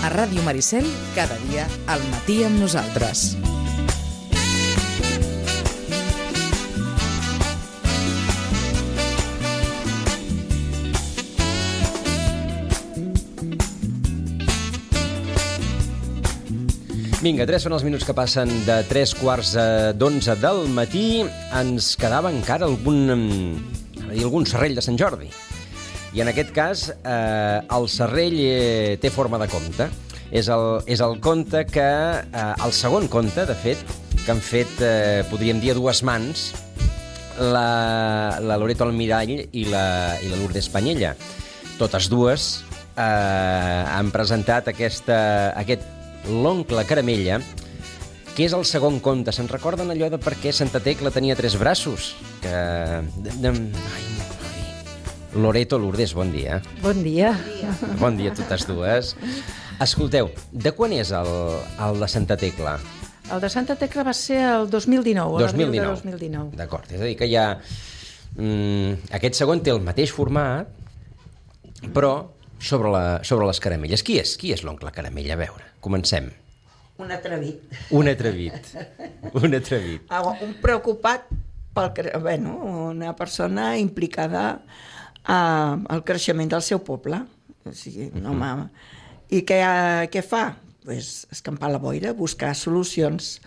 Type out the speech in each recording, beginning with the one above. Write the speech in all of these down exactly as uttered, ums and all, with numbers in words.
A Ràdio Maricel, cada dia al matí amb nosaltres. Vinga, tres són els minuts que passen de tres quarts d'onze del matí. Ens quedava encara algun, algun serrell de Sant Jordi. I en aquest cas, eh, el serrell eh, té forma de conte. És el, és el conte que... Eh, el segon conte, de fet, que han fet, eh, podríem dir, a dues mans, la, la Loreto Almirall i la, i la Lourdes Panyella. Totes dues eh, han presentat aquesta, aquest L'oncle Caramella, que és el segon conte. Se'n recorden allò de per què Santa Tecla tenia tres braços? Que... Ai, ai. Loreto, Lourdes, bon dia. Bon dia. Bon dia a totes dues. Escolteu, de quan és el, el de Santa Tecla? El de Santa Tecla va ser el dos mil dinou. dos mil dinou. dos mil dinou. D'acord, és a dir que ja... Mm, aquest segon té el mateix format, però sobre, la, sobre les caramelles. Qui és? Qui és l'oncle Caramella? A veure, comencem. Un atrevit. Un atrevit. Un atrevit. Ah, un preocupat pel... Bueno, una persona implicada uh, al creixement del seu poble. O sigui, un home... I què, què fa? Pues, escampar la boira, buscar solucions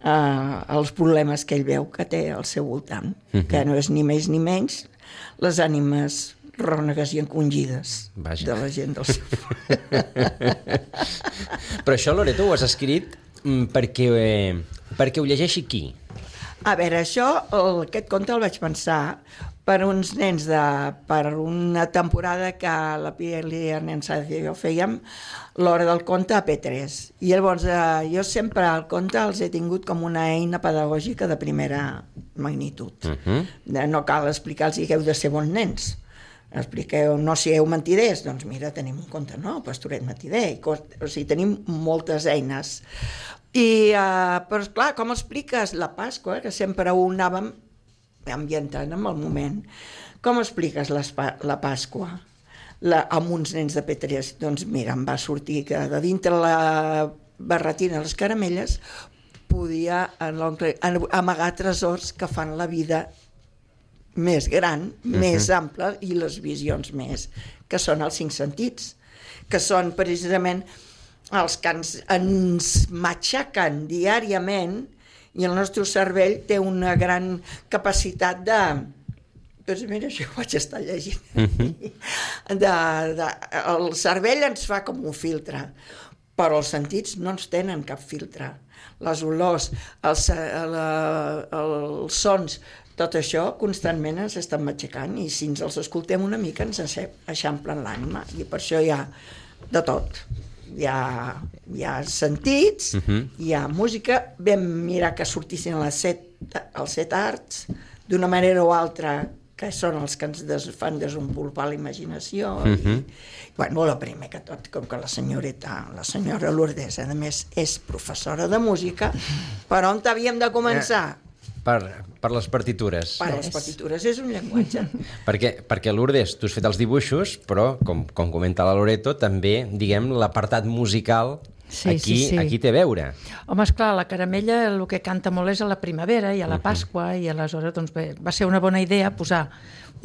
uh, als problemes que ell veu que té al seu voltant, uh-huh. que no és ni més ni menys les ànimes rònegues i encongides Vaja. de la gent del seu... Però això, Loreto, ho has escrit perquè, eh, perquè ho llegeixi qui? A veure, això, el, aquest conte el vaig pensar per uns nens de... per una temporada que la Pili i el nen Sáenz i jo fèiem l'hora del conte a P tres. I llavors eh, jo sempre el conte els he tingut com una eina pedagògica de primera magnitud. Uh-huh. No cal explicar-los que heu de ser bons nens. Expliqueu, no sigueu mentiders, doncs mira, tenim un conte, no? Pastoret mentider, i cos... o sigui, tenim moltes eines. I, uh, però esclar, com expliques la Pasqua, que sempre ho anàvem ambientant en el moment, com expliques la, la Pasqua la, amb uns nens de P tres? Doncs mira, em va sortir que de dintre la barretina de les caramelles podia en l'oncle amagar tresors que fan la vida més gran, uh-huh. més ampla i les visions més, que són els cinc sentits, que són precisament els que ens, ens matxaquen diàriament i el nostre cervell té una gran capacitat de... Doncs mira, això ho vaig estar llegint. Uh-huh. De, de, el cervell ens fa com un filtre, però els sentits no ens tenen cap filtre. Les olors, els, la, els sons... Tot això constantment ens estan matxacant i si ens els escoltem una mica ens eixamplen l'ànima i per això hi ha de tot. Hi ha, hi ha sentits, uh-huh. hi ha música, vam mirar que sortissin les set, els set arts d'una manera o altra que són els que ens des, fan desenvolupar la imaginació. Uh-huh. I, bueno, el primer que tot, com que la senyoreta, la senyora Lourdes, a més, és professora de música, per on havíem de començar? Eh. Per, per les partitures. Per les partitures, és un llenguatge. perquè, perquè Lourdes, tu has fet els dibuixos, però, com, com comenta la Loreto, també, diguem, l'apartat musical sí, aquí, sí, sí. aquí té a veure. Home, esclar, la Caramella el que canta molt és a la primavera i a la Pasqua, uh-huh. i aleshores doncs, bé, va ser una bona idea posar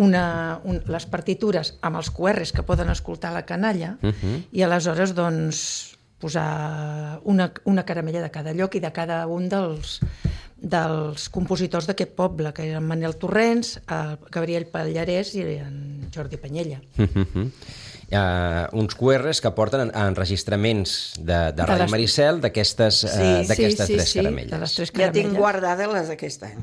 una, un, les partitures amb els Q Rs que poden escoltar la canalla, uh-huh. i aleshores doncs, posar una, una caramella de cada lloc i de cada un dels... dels compositors d'aquest poble, que eren Manel Torrents, el Gabriel Pallarès i en Jordi Panyella. Uh-huh. Uh, uns Q Rs que porten enregistraments de, de, de Ràdio les... Maricel d'aquestes sí, uh, d'aquestes sí, sí, tres sí, caramelles. De les tres caramelles. Ja tinc guardades les d'aquest any.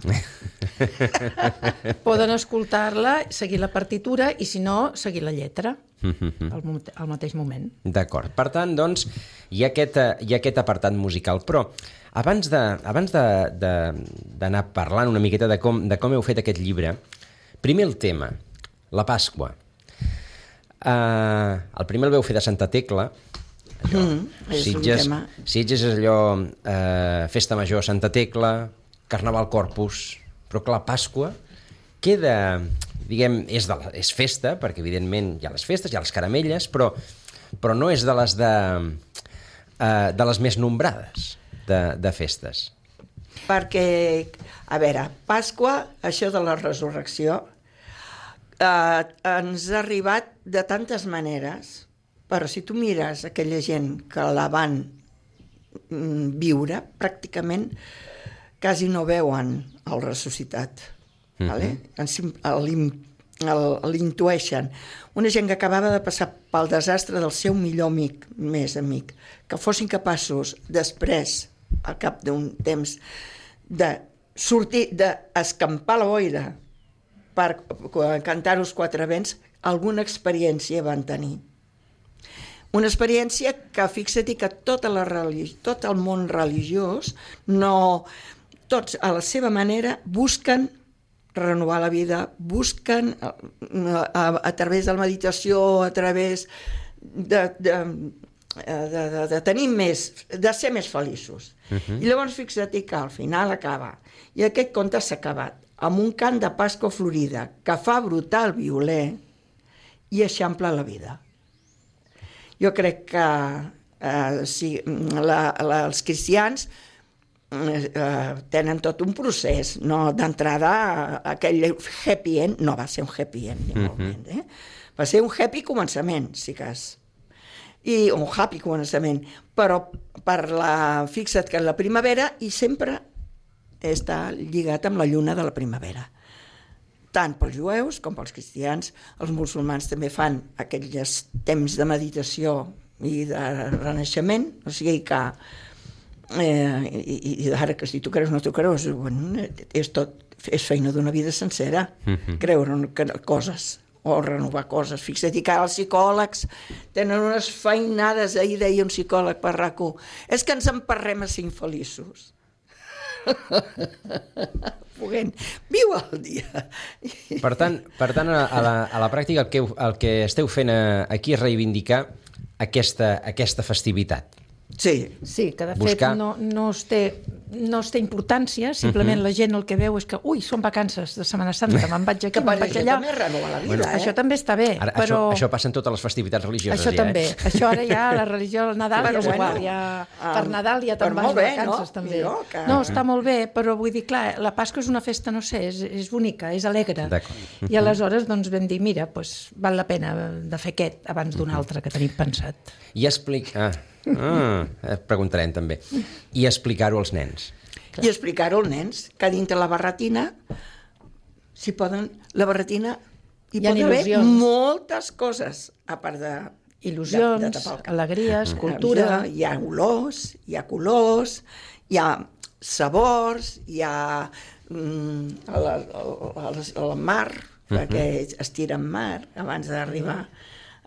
Poden escoltar-la, seguir la partitura i, si no, seguir la lletra uh-huh. al, al mateix moment. D'acord. Per tant, doncs, hi ha aquest, hi ha aquest apartat musical, però abans de, abans de, de, d'anar parlant una miqueta de com, de com heu fet aquest llibre, primer el tema, la Pasqua. Uh, el primer el veu fer de Santa Tecla, allò, mm, és Sitges, un tema. Sitges és allò, uh, festa major Santa Tecla, Carnaval Corpus, però clar, Pasqua queda, diguem, és, de la, és festa, perquè evidentment hi ha les festes, hi ha les caramelles, però, però no és de les de eh, de les més nombrades de, de festes. Perquè, a veure, Pasqua, això de la resurrecció, eh, ens ha arribat de tantes maneres, però si tu mires aquella gent que la van mm, viure, pràcticament quasi no veuen el ressuscitat. Mm-hmm. Vale? L'intueixen. Una gent que acabava de passar pel desastre del seu millor amic, més amic, que fossin capaços després, al cap d'un temps, de sortir, d'escampar la boira per cantar-los quatre vents, alguna experiència van tenir. Una experiència que, fixa't, que tota la religi- tot el món religiós, no, tots a la seva manera busquen renovar la vida, busquen a, a, a través de la meditació, a través de, de, de, de, de tenir més, de ser més feliços. Uh-huh. I llavors fixa't que al final acaba, i aquest conte s'ha acabat, amb un cant de Pasqua Florida que fa brotar el violer i eixampla la vida. Jo crec que eh, si, la, la, els cristians eh, tenen tot un procés, no? D'entrada, aquell happy end no va ser un happy end, ni molt menys, eh? Va ser un happy començament, si cas. I un happy començament, però per la, fixa't que la primavera i sempre està lligat amb la lluna de la primavera. Tant pels jueus com pels cristians. Els musulmans també fan aquells temps de meditació i de renaixement, o sigui que eh, i, i ara que si tu creus o no tu creus, bueno, és, tot, és feina d'una vida sencera, mm-hmm. creure en coses o renovar coses. Fixa't que els psicòlegs tenen unes feinades, ahir deia un psicòleg per RAC1, és que ens emparrem a ser infeliços. Puguent, viu el dia. Per tant, per tant a, la, a la pràctica el que, el que esteu fent aquí és reivindicar aquesta, aquesta festivitat. Sí. Sí, que de Buscar... fet no, no, es té, no es té importància, simplement uh-huh. la gent el que veu és que, ui, són vacances de Setmana Santa, me'n vaig aquí, me'n vaig allà. També renova la vida, bueno, eh? Això també està bé, ara, però... Això, això passa en totes les festivitats religioses, això ja, també. eh? Això ara ja, la religió, el Nadal però ja és bueno, igual, ja, um, per Nadal ja te'n vas de vacances, no? també. Millor que... No, està molt bé, però vull dir, clar, la Pasqua és una festa, no sé, és, és bonica, és alegre. I aleshores doncs vam dir, mira, doncs, val la pena de fer aquest abans d'un altre que tenim pensat. I explicar... Ah. Ah, preguntarem també. I explicar-ho als nens. Clar. I explicar-ho als nens, que dintre la barretina s'hi poden... La barretina hi, hi poden haver moltes coses, a part de... Il·lusions, de, de alegries, cultura... Hi ha olors, hi ha colors, hi ha sabors, hi ha mm, el, el, el, el mar, uh-huh. perquè es tira en mar abans d'arribar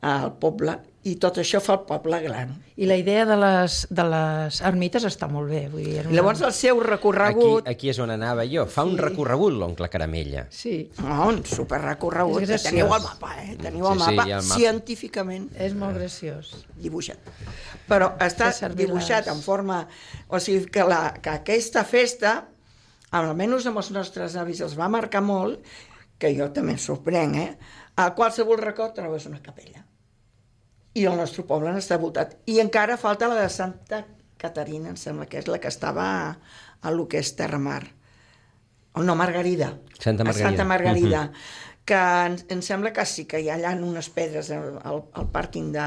al poble, i tot això fa el poble gran. I la idea de les, de les ermites està molt bé. Vull dir, una... Llavors el seu recorregut... Aquí, aquí és on anava jo. Fa sí. un recorregut l'oncle Caramella. Sí. Oh, un superrecorregut. Teniu el mapa, eh? Teniu el sí, mapa sí, el mapa científicament. És molt graciós. Dibuixat. Però està dibuixat les... en forma... O sigui que, la, que aquesta festa, almenys amb els nostres avis, els va marcar molt, que jo també em sorprenc, eh? A qualsevol record trobes una capella. I el nostre poble n'està voltat. I encara falta la de Santa Caterina, em sembla que és la que estava a, a lo que és Terramar. O no, Margarida. Santa Margarida. A Santa Margarida. Uh-huh. Que em, em sembla que sí, que hi ha allà unes pedres al, al, al pàrquing de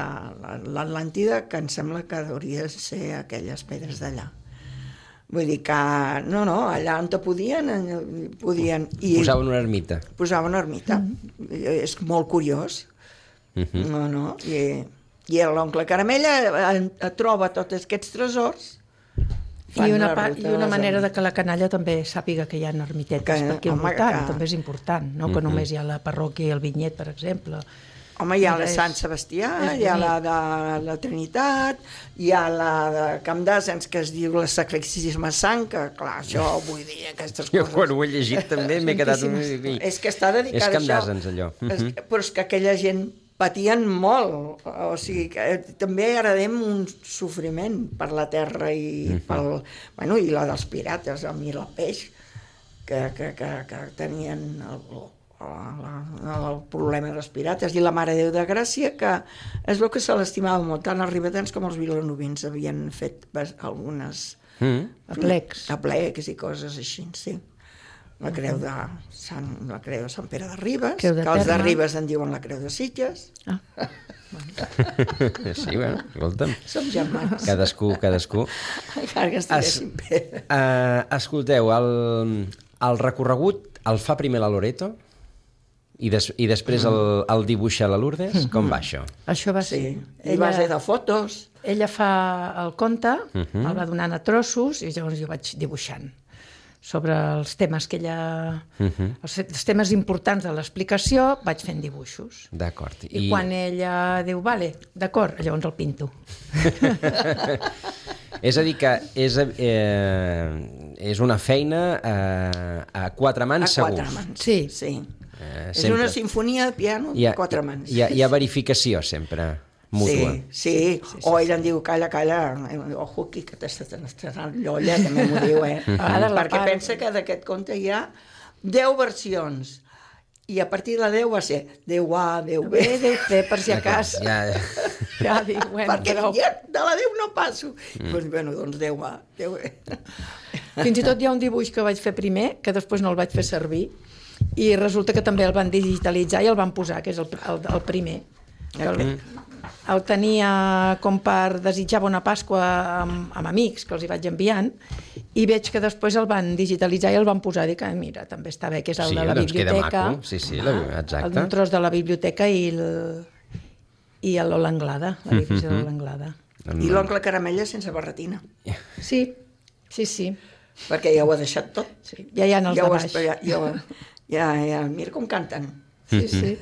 l'Atlàntida, que em sembla que hauria de ser aquelles pedres d'allà. Vull dir que, no, no, allà on te podien, podien... I posaven una ermita. Posaven una ermita. Uh-huh. És molt curiós. Uh-huh. No, no, i, i l'oncle Caramella troba tots aquests tresors. I una, pa, i una manera de que la canalla també sàpiga que hi ha ermitetes, que, perquè home, voltant, que... també és important, no? Uh-huh. Que només hi ha la parròquia i el vinyet, per exemple. Home, hi ha la Sant Sebastià, hi ha la de la Trinitat, hi ha la de Camp d'Àsens, que es diu la Sacratíssima Sang, que clar, això vull dir, aquestes coses... Jo quan ho he llegit també m'he quedat... És que està dedicat a això. És Camp d'Àsens, allò. Uh-huh. Però és que aquella gent patien molt, o sigui, que també heredem un sofriment per la terra i, uh-huh. pel, bueno, i la dels pirates, el mil el peix, que, que, que, que tenien el, la, la, el problema respiratori. I la Mare de Déu de Gràcia, que es veu que se l'estimava molt, tant els ribetans com els vilanovins havien fet algunes Mm. Aplecs. aplecs i coses així, sí. La creu de Sant, la creu de Sant Pere de Ribes, Creu de que els de Terme. Ribes en diuen la creu de Sitges. Ah. Sí, bueno, escolta'm. Som germans. Cadascú, cadascú. Encara que estiguéssim bé. Uh, escolteu, el, el recorregut el fa primer la Loreto i, des, i després el, el dibuixa la Lourdes? Com va això? Això va Sí, ser... i base de fotos. Ella fa el conte, uh Mhm. -huh. el va donant a trossos i llavors jo vaig dibuixant sobre els temes que ella... Uh Mhm. -huh. els, els temes importants de l'explicació vaig fent dibuixos. D'acord. I, I quan ella diu, vale, d'acord, llavors el pinto. És a dir que és, eh, és una feina eh, a quatre mans A quatre segur. mans. Sí. sí. Eh, És sempre. una sinfonia de piano Hi ha, a quatre mans. Hi ha, hi ha verificació sempre, mútua. Sí, sí, sí, sí, o ella em diu, calla, calla, ojo aquí, que t'estàs llolla, també m'ho diu, eh? Ara la Perquè part- pensa que d'aquest conte hi ha deu versions, i a partir de la deu va ser deu A, deu B, Bé, deu fer, per si a D'acord, cas. Ja, Ja dic, bueno, perquè però... ja de la deu no passo. Mm. Doncs, bueno, doncs deu A, deu B. Fins i tot hi ha un dibuix que vaig fer primer, que després no el vaig fer servir, i resulta que també el van digitalitzar i el van posar, que és el, el, el primer. Que el, el tenia com per desitjar bona Pasqua amb, amb amics, que els hi vaig enviant, i veig que després el van digitalitzar i el van posar, i dic, ah, mira, també està bé, que és el sí, de la doncs queda biblioteca. maco. Sí, sí, la, exacte. Un tros de la biblioteca i el, i l'Ola Anglada, la divisió de l'Ola Anglada. I l'oncle Caramella sense barretina, Sí, sí, sí. perquè ja ho ha deixat tot. sí. Ja hi ha els ja de ho baix. has- ja, ja, ja, ja, mira com canten. Sí, sí.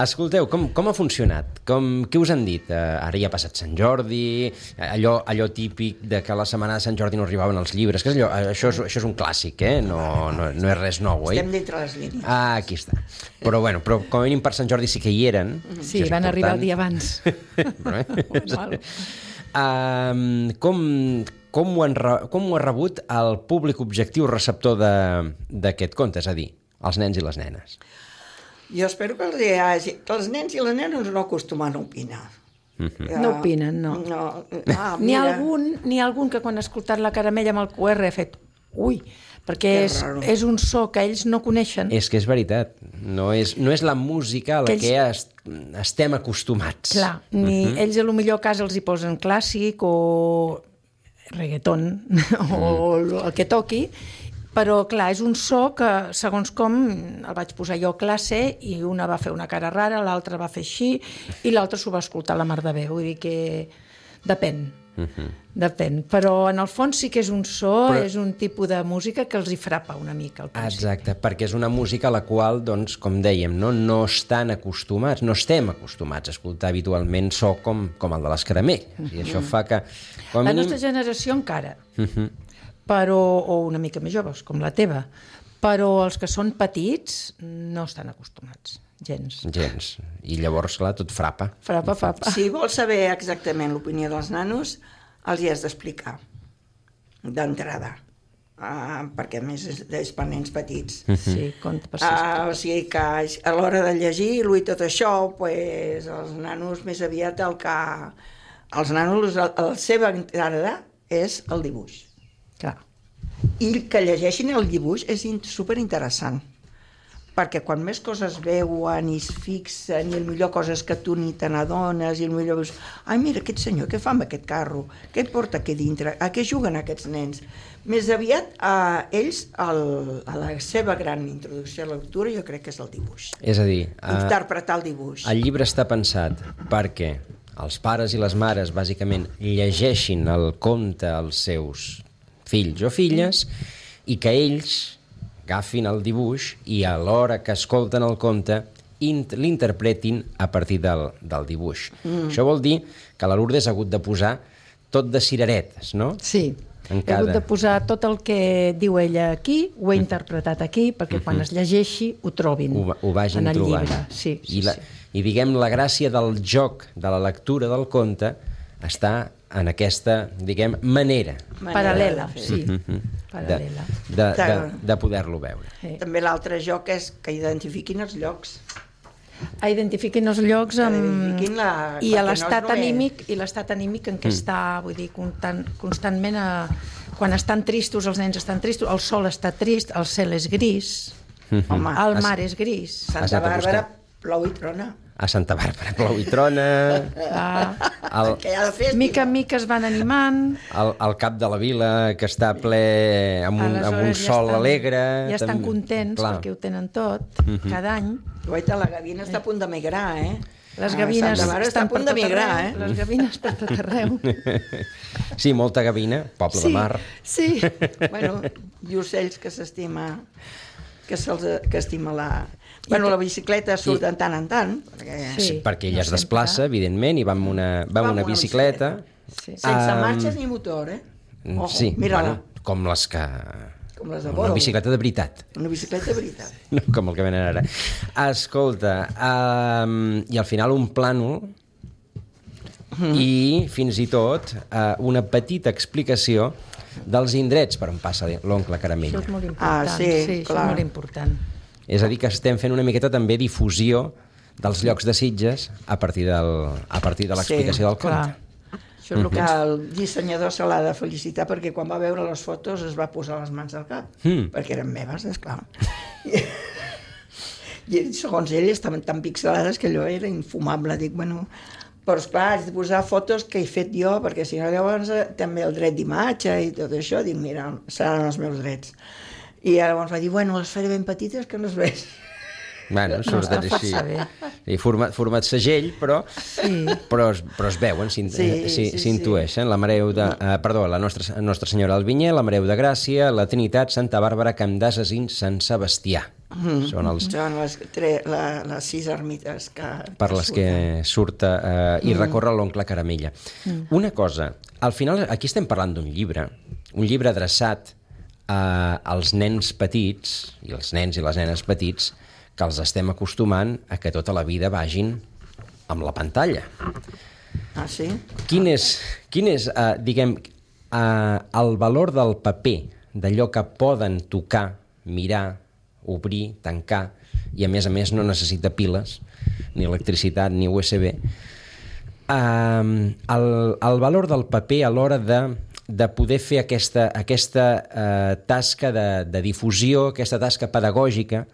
Escolteu, com, com ha funcionat? Com, què us han dit? Uh, ara ja ha passat Sant Jordi, allò, allò típic de que a la setmana de Sant Jordi no arribaven els llibres, que és allò, això, és, això és un clàssic, eh? No, no, no és res nou, eh? Estem dintre les línies. Ah, aquí està. Però, bueno, però com a mínim per Sant Jordi sí que hi eren. Sí, això és van arribar el important. dia abans. Bueno, Normal. um, com, com, ho han, re- com ho ha rebut el públic objectiu receptor de- d'aquest conte, és a dir, els nens i les nenes? Jo espero que els, hi hagi, que els nens i les nenes no acostumen a opinar. Ja, No opinen, no. no. Ah, N'hi ha mira, algun, n'hi ha algun que quan ha escoltat la Caramella amb el Q R ha fet ui, perquè Que és, raro. és un so que ells no coneixen. És que és veritat, no és, no és la música a la Que que, ells- est, estem acostumats. Clar, ni uh -huh. ells a lo millor a casa els hi posen clàssic o reggaeton o el que toqui, però clar, és un so que segons com el vaig posar jo a classe i una va fer una cara rara, l'altra va fer així i l'altra s'ho va escoltar a la mar de bé, vull dir que depèn. Uh -huh. Depèn, però en el fons sí que és un so, Però- és un tipus de música que els hi frapa una mica al principi. Exacte, perquè és una música a la qual, doncs, com dèiem, no, no estan acostumats, no estem acostumats a escoltar habitualment so com, com el de l'Escaramell. Uh -huh. I això fa que... Com a La mínim... nostra generació encara, Uh -huh. però, o una mica més joves, com la teva, però els que són petits no estan acostumats, gens. Gens. I llavors, clar, tot frapa. Frapa, frapa. si vols saber exactament l'opinió dels nanos, els hi has d'explicar d'entrada, uh, perquè a més és, és per nens petits. Sí, compte per sis. Uh, o sigui que a l'hora de llegir-lo i tot això, pues, els nanos més aviat el que... Els nanos, la, la seva entrada és el dibuix. Clar. I que llegeixin el dibuix és in- superinteressant, perquè quan més coses veuen i es fixen, i millor coses que tu ni te n'adones, i millor veus, ai, mira, aquest senyor, què fa amb aquest carro? Què porta aquí dintre? A què juguen aquests nens? Més aviat, a ells, el, a la seva gran introducció a la lectura, jo crec que és el dibuix. És a dir, eh, Interpretar el dibuix. el llibre està pensat perquè els pares i les mares, bàsicament, llegeixin el conte als seus fills o filles i que ells agafin el dibuix i a l'hora que escolten el conte l'interpretin a partir del, del dibuix. Mm. Això vol dir que la Lourdes ha hagut de posar tot de cireretes, no? Sí, En he cada- hagut de posar tot el que diu ella aquí, ho he interpretat aquí, perquè quan es llegeixi ho trobin Ho, va- ho vagin en el trobant. llibre. Sí, sí, I, la, sí. I diguem, la gràcia del joc, de la lectura del conte, està en aquesta, diguem, manera. Paral·lela, sí. Mm-hmm. Paral·lela. De, de, de, de poder-lo veure. Sí. També l'altre joc és que identifiquin els llocs. A identifiquin els llocs amb... Identifiquin la... i a perquè l'estat no és anímic i l'estat anímic en què Mm. està, vull dir, constant, constantment a... quan estan tristos, els nens estan tristos, el sol està trist, el cel és gris, Mm-hmm. Home, el mar és gris. Has Santa anat a Bàrbara buscar. plou i trona. A Santa Bàrbara plou i trona, Ah, el, Que hi ha de fer... mica en mica es van animant. el, el cap de la vila, que està ple amb un, amb un Aleshores ja sol estan- alegre. Ja estan també. contents Clar. perquè ho tenen tot, cada any. Guaita, la gavina està a punt de migrar, eh? Les Ah, gavines Santa Bàrbara està estan a punt per de tot migrar, arreu, eh? les gavines per tot arreu. Sí, molta gavina, poble de mar. Sí, Bueno, i ocells que s'estima... que se'ls que estima la... Bueno, la bicicleta surt de tant en tant, perquè... Sí. Perquè ella no es desplaça, sempre. evidentment, i va amb una, va amb una bicicleta. Sí. Sense Um, marxes ni motor, eh? Ojo, Sí, mira-la, bueno, com les que... com les de Una Boro. bicicleta de veritat. Una bicicleta de veritat. No com el que venen ara. Escolta, um, i al final un plànol Mm. i fins i tot uh, una petita explicació dels indrets per on passa l'oncle Això Caramella. és molt important. Ah, sí, sí això clar. és molt important. És a dir, que estem fent una miqueta també difusió dels llocs de Sitges a partir, del, a partir de l'explicació Sí, del conte. Clar. Això és el Que que ens... el dissenyador se l'ha de felicitar perquè quan va veure les fotos es va posar les mans al cap, Mm. perquè eren meves, esclar. I, I segons ell estaven tan pixelades que allò era infumable. Dic, bueno, però esclar, haig de posar fotos que he fet jo, perquè si no llavors eh, també el dret d'imatge i tot això, dic, mira, seran els meus drets. I llavors va dir, bueno, les faré ben petites que no es veig. Bueno, surt està així. força bé. I format, format segell, però, Sí. però, es, però es veuen, s'in- Sí, eh, sí, s'hi- sí. s'intueixen. La Mareu de... Eh, perdó, la Nostra, Nostra Senyora del Vinyer, la Mareu de Gràcia, la Trinitat, Santa Bàrbara, Camp d'Ases i Sant Sebastià. Mm. Són els Són les, tre, la, les sis ermites que... per les que surt eh, i recorre l'oncle Caramella. Mm. Una cosa, al final aquí estem parlant d'un llibre, un llibre adreçat a, als nens petits, i els nens i les nenes petits, que els estem acostumant a que tota la vida vagin amb la pantalla. Ah, sí? Quin és, quin és eh, diguem, eh, el valor del paper, d'allò que poden tocar, mirar, obrir, tancar, i a més a més no necessita piles, ni electricitat, ni U S B. Eh, el, el valor del paper a l'hora de, de poder fer aquesta, aquesta eh, tasca de, de difusió, aquesta tasca pedagògica,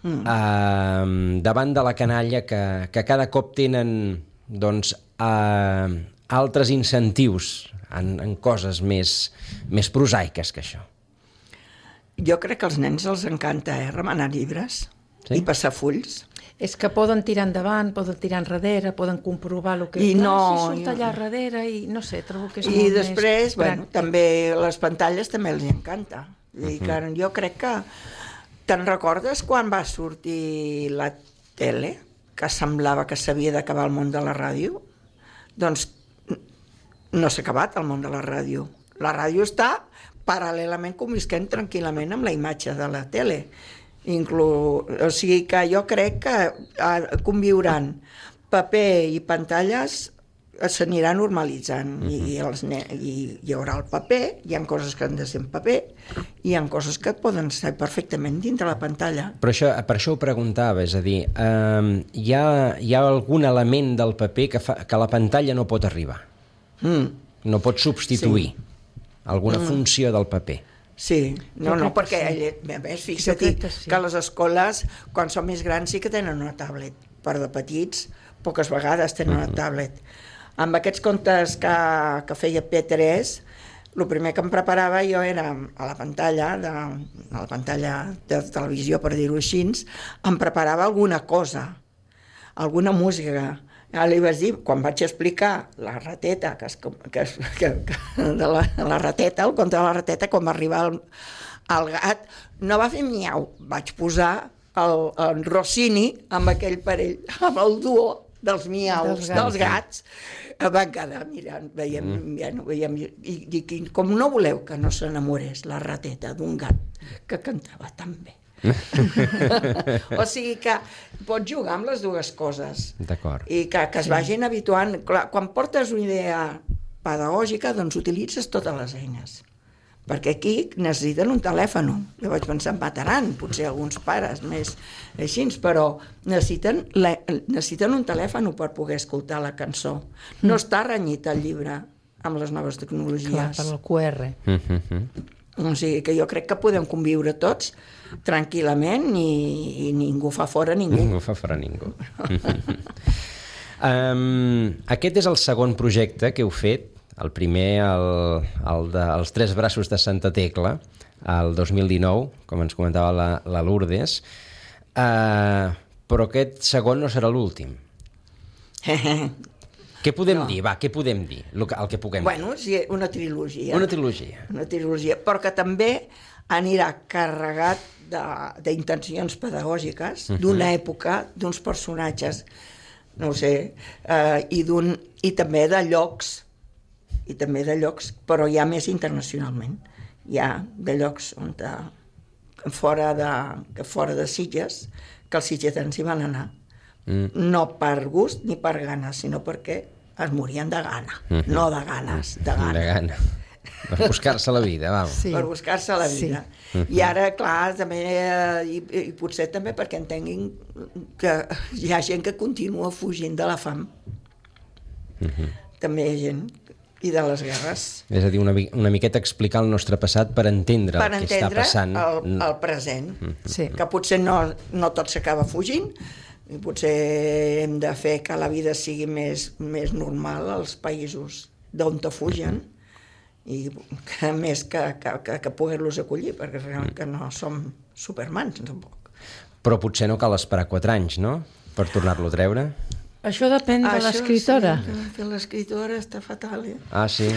Mm. Uh, davant de la canalla que, que cada cop tenen doncs, uh, altres incentius en, en coses més, més prosaiques que això. Jo crec que als nens els encanta, eh, remenar llibres Sí? i passar fulls. És que poden tirar endavant, poden tirar enrere, poden comprovar el que... I no, Ah, si surt i- allà darrere i no sé, trobo que és I molt després, més bueno, pràctic. també les pantalles també els encanta. I que jo crec que... Te'n recordes quan va sortir la tele, que semblava que s'havia d'acabar el món de la ràdio? Doncs no s'ha acabat el món de la ràdio. La ràdio està paral·lelament convisquent tranquil·lament amb la imatge de la tele. Inclu... O sigui que jo crec que eh, conviuran paper i pantalles s'anirà normalitzant. I, i, els ne... I hi haurà el paper, hi ha coses que han de ser en paper, i hi ha coses que poden ser perfectament dintre la pantalla. Però això, per això ho preguntava, és a dir, eh, hi, ha, hi ha algun element del paper que, fa, que la pantalla no pot arribar, Mm. no pot substituir sí. alguna Mm. funció del paper. Sí, no, Jo no, crec que perquè sí. ell, a més, Jo fixa't crec que, que sí. que les escoles, quan són més grans, sí que tenen una tablet. Per de petits, poques vegades tenen una tablet. Amb aquests contes que, que feia P tres, el primer que em preparava jo era a la pantalla, de, a la pantalla de televisió, per dir-ho així, em preparava alguna cosa, alguna música. Ja li vaig dir, quan vaig explicar la rateta, que es, que, es, que, que de la, la rateta, el conte de la rateta, quan va arribar el, el gat, no va fer miau, vaig posar el, el Rossini amb aquell parell, amb el duo dels miaus, Dels gats. dels gats, van quedar mirant, veiem, mm. ja no veiem, i dic, com no voleu que no s'enamorés la rateta d'un gat que cantava tan bé. O sigui que pots jugar amb les dues coses. D'acord. I que, que es vagin habituant. Clar, quan portes una idea pedagògica, doncs utilitzes totes les eines. Perquè aquí necessiten un telèfon. Jo vaig pensar, em mataran, potser alguns pares més així, però necessiten, la, necessiten un telèfon per poder escoltar la cançó. No està renyit el llibre amb les noves tecnologies. Clar, per el Q R. Mm-hmm. O sigui que jo crec que podem conviure tots tranquil·lament i, i ningú fa fora ningú. Ningú fa fora ningú. um, aquest és el segon projecte que heu fet. El primer, el, el de, els Tres braços de Santa Tecla, el dos mil dinou, com ens comentava la, la Lourdes. Uh, però aquest segon no serà l'últim. Què podem no. dir? Va, què podem dir? El que, el que puguem bueno, sí, una trilogia. Una trilogia. Una trilogia, però que també anirà carregat d'intencions pedagògiques, uh-huh. d'una època, d'uns personatges, no ho sé, eh, i, d'un, i també de llocs, i també de llocs, però ja més internacionalment. Hi ha de llocs on de, fora, de, que fora de Sitges, que els sitgetans hi van anar. Mm. No per gust ni per gana, sinó perquè es morien de gana. Mm-hmm. No de ganes, de gana. De gana. Per buscar-se la vida, vam. Sí. Per buscar-se la vida. Sí. I ara, clar, també, i, i potser també perquè entenguin que hi ha gent que continua fugint de la fam. Mm-hmm. També hi ha gent i de les guerres. És a dir, una, una miqueta explicar el nostre passat per entendre per el que està passant. Per entendre el, el present. Mm-hmm. Sí. Que potser no, no tot s'acaba fugint, i potser hem de fer que la vida sigui més, més normal als països d'on te fugen, i que més que, que, que, que poder-los acollir, perquè realment que no som supermans, tampoc. Però potser no cal esperar quatre anys, no?, per tornar-lo a treure. Això depèn de l'escriptora. Sí, que l'escriptora està fatal, eh? Ah, sí?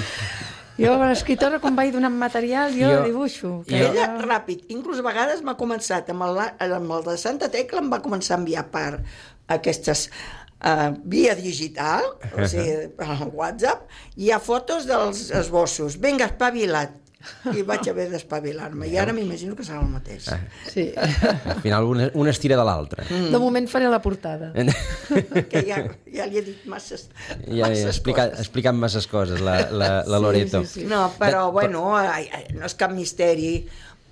Jo, l'escriptora, quan vaig donant material, jo, jo dibuixo. Que jo... Ella, ràpid, inclús a vegades m'ha començat, amb el, amb el de Santa Tecla em va començar a enviar per aquestes uh, via digital, o sigui, per WhatsApp, hi ha fotos dels esbossos. Vinga, espavila't. I vaig haver d'espavilar-me. I ara m'imagino que serà el mateix. Ah. Sí. Al final una, una es tira de l'altra. Mm. De moment faré la portada. Que ja, ja li he dit masses, ja he explicat, explicat masses coses, la, la, la Loreto. Sí, sí, sí. No, però, de, bueno, ai, ai, no és cap misteri,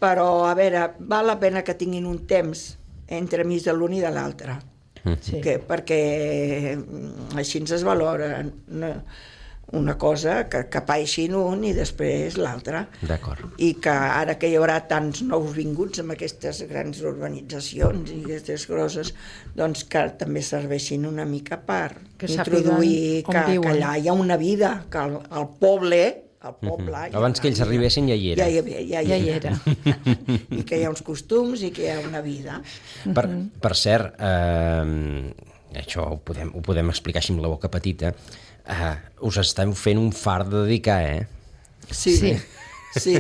però, a veure, val la pena que tinguin un temps entre mig de l'un i de l'altre. Sí. Que, perquè així ens es valora una, una cosa que, que paeixin un i després l'altra. D'acord. I que ara que hi haurà tants nous vinguts amb aquestes grans urbanitzacions i aquestes grosses, doncs que també serveixin una mica per que introduir que, que allà hi ha una vida, que el, el poble... El poble, uh-huh. ja abans que ells arribessin ja hi era. Ja hi, havia, ja, ja hi era. I que hi ha uns costums i que hi ha una vida. Per, per cert, eh, això ho podem, ho podem explicar així amb la boca petita, eh, us esteu fent un fart de dedicar, eh? Sí. Sí. Sí.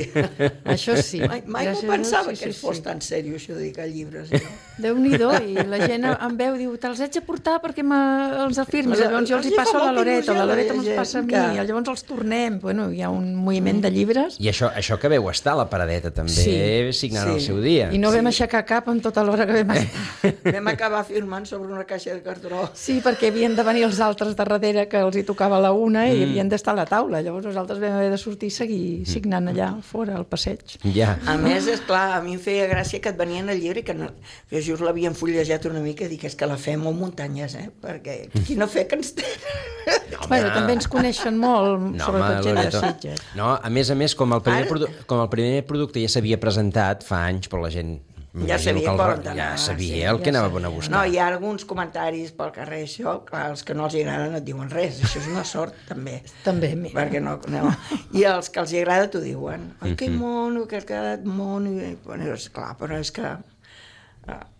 Això sí. Mai, mai no pensava sí, que sí, fos sí. tan sèrio això de dedicar llibres. Jo. Déu-n'hi-do, i la gent em veu, diu, te'ls haig de portar perquè els afirmes, llavors jo els hi passo a la Loreto, la Loreto me'ls passa a mi, que... llavors els tornem, bueno, hi ha un moviment de llibres. I això, això que veu estar a la paradeta també, sí. signant sí. el seu dia. I no vam sí. aixecar cap en tota l'hora que vam estar. Vam acabar firmant sobre una caixa de cartró. Sí, perquè havien de venir els altres de darrere que els hi tocava la una i mm. havien d'estar a la taula, llavors nosaltres vam haver de sortir i seguir signant allà fora, al passeig. Ja. A més, és clar, a mi em feia gràcia que et venien al llibre i que, no, que just l'havien fullejat una mica i dic, és que la fem molt muntanyes, eh? Perquè quina fe que ens tenen. No, bueno, també ens coneixen molt, no, sobretot gent de Sitges. No, a més a més, com el primer, produ- com el primer producte ja s'havia presentat fa anys, però la gent... Ja sabia, el, ja sabia sí, el que ja anava a buscar. No, hi ha alguns comentaris pel carrer, això, clar, els que no els agrada no et diuen res, això és una sort, també. També, mira. Perquè no, no. I els que els agrada t'ho diuen. Ai, que mono, que has quedat mono. I, bueno, és clar, però és que...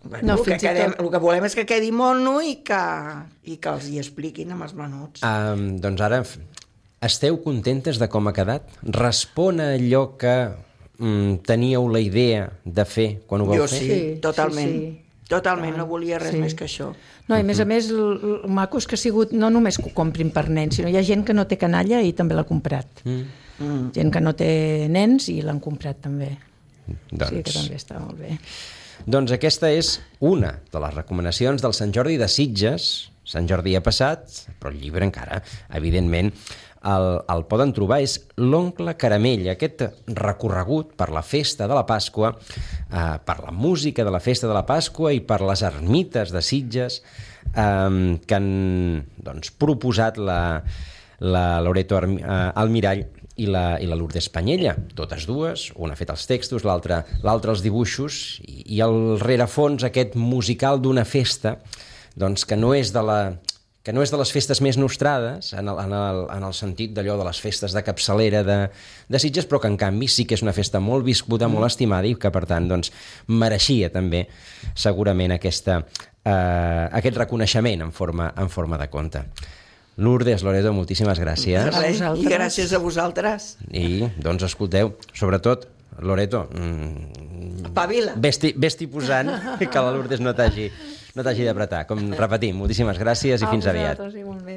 Bueno, no, el, que quedem, tot... el que volem és que quedi mono i que, i que els hi expliquin amb els menuts. Um, doncs ara, esteu contentes de com ha quedat? Respon a allò que... teníeu la idea de fer quan ho vau jo fer? Jo sí, totalment. Sí, sí. Totalment, no volia res sí. més que això. No, i a més a més, el, el maco és que ha sigut no només que ho comprin per nens, sinó hi ha gent que no té canalla i també l'ha comprat. Mm. Mm. Gent que no té nens i l'han comprat també. Doncs... Sí, que també està molt bé. Doncs aquesta és una de les recomanacions del Sant Jordi de Sitges. Sant Jordi ha passat, però el llibre encara, evidentment. el, el poden trobar, és l'Oncle Caramell, aquest recorregut per la festa de la Pasqua, eh, per la música de la festa de la Pasqua i per les ermites de Sitges eh, que han doncs, proposat la, la Loreto Almirall i la, i la Lourdes Panyella, totes dues, una ha fet els textos, l'altra l'altra els dibuixos, i, i el rerefons aquest musical d'una festa doncs, que no és de la... que no és de les festes més nostrades, en el, en el, en el sentit d'allò de les festes de capçalera de, de Sitges, però que en canvi sí que és una festa molt viscuda, molt estimada i que per tant doncs, mereixia també segurament aquesta, eh, aquest reconeixement en forma, en forma de conte. Lourdes, Loreto, moltíssimes gràcies. Res, I gràcies a vosaltres. I doncs escolteu, sobretot, Loreto, mmm, Pavila. Vés-t'hi vés-t'hi posant que la Lourdes no t'hagi no t'hagi d'apretar. Com repetim, moltíssimes gràcies i fins aviat. Igualment.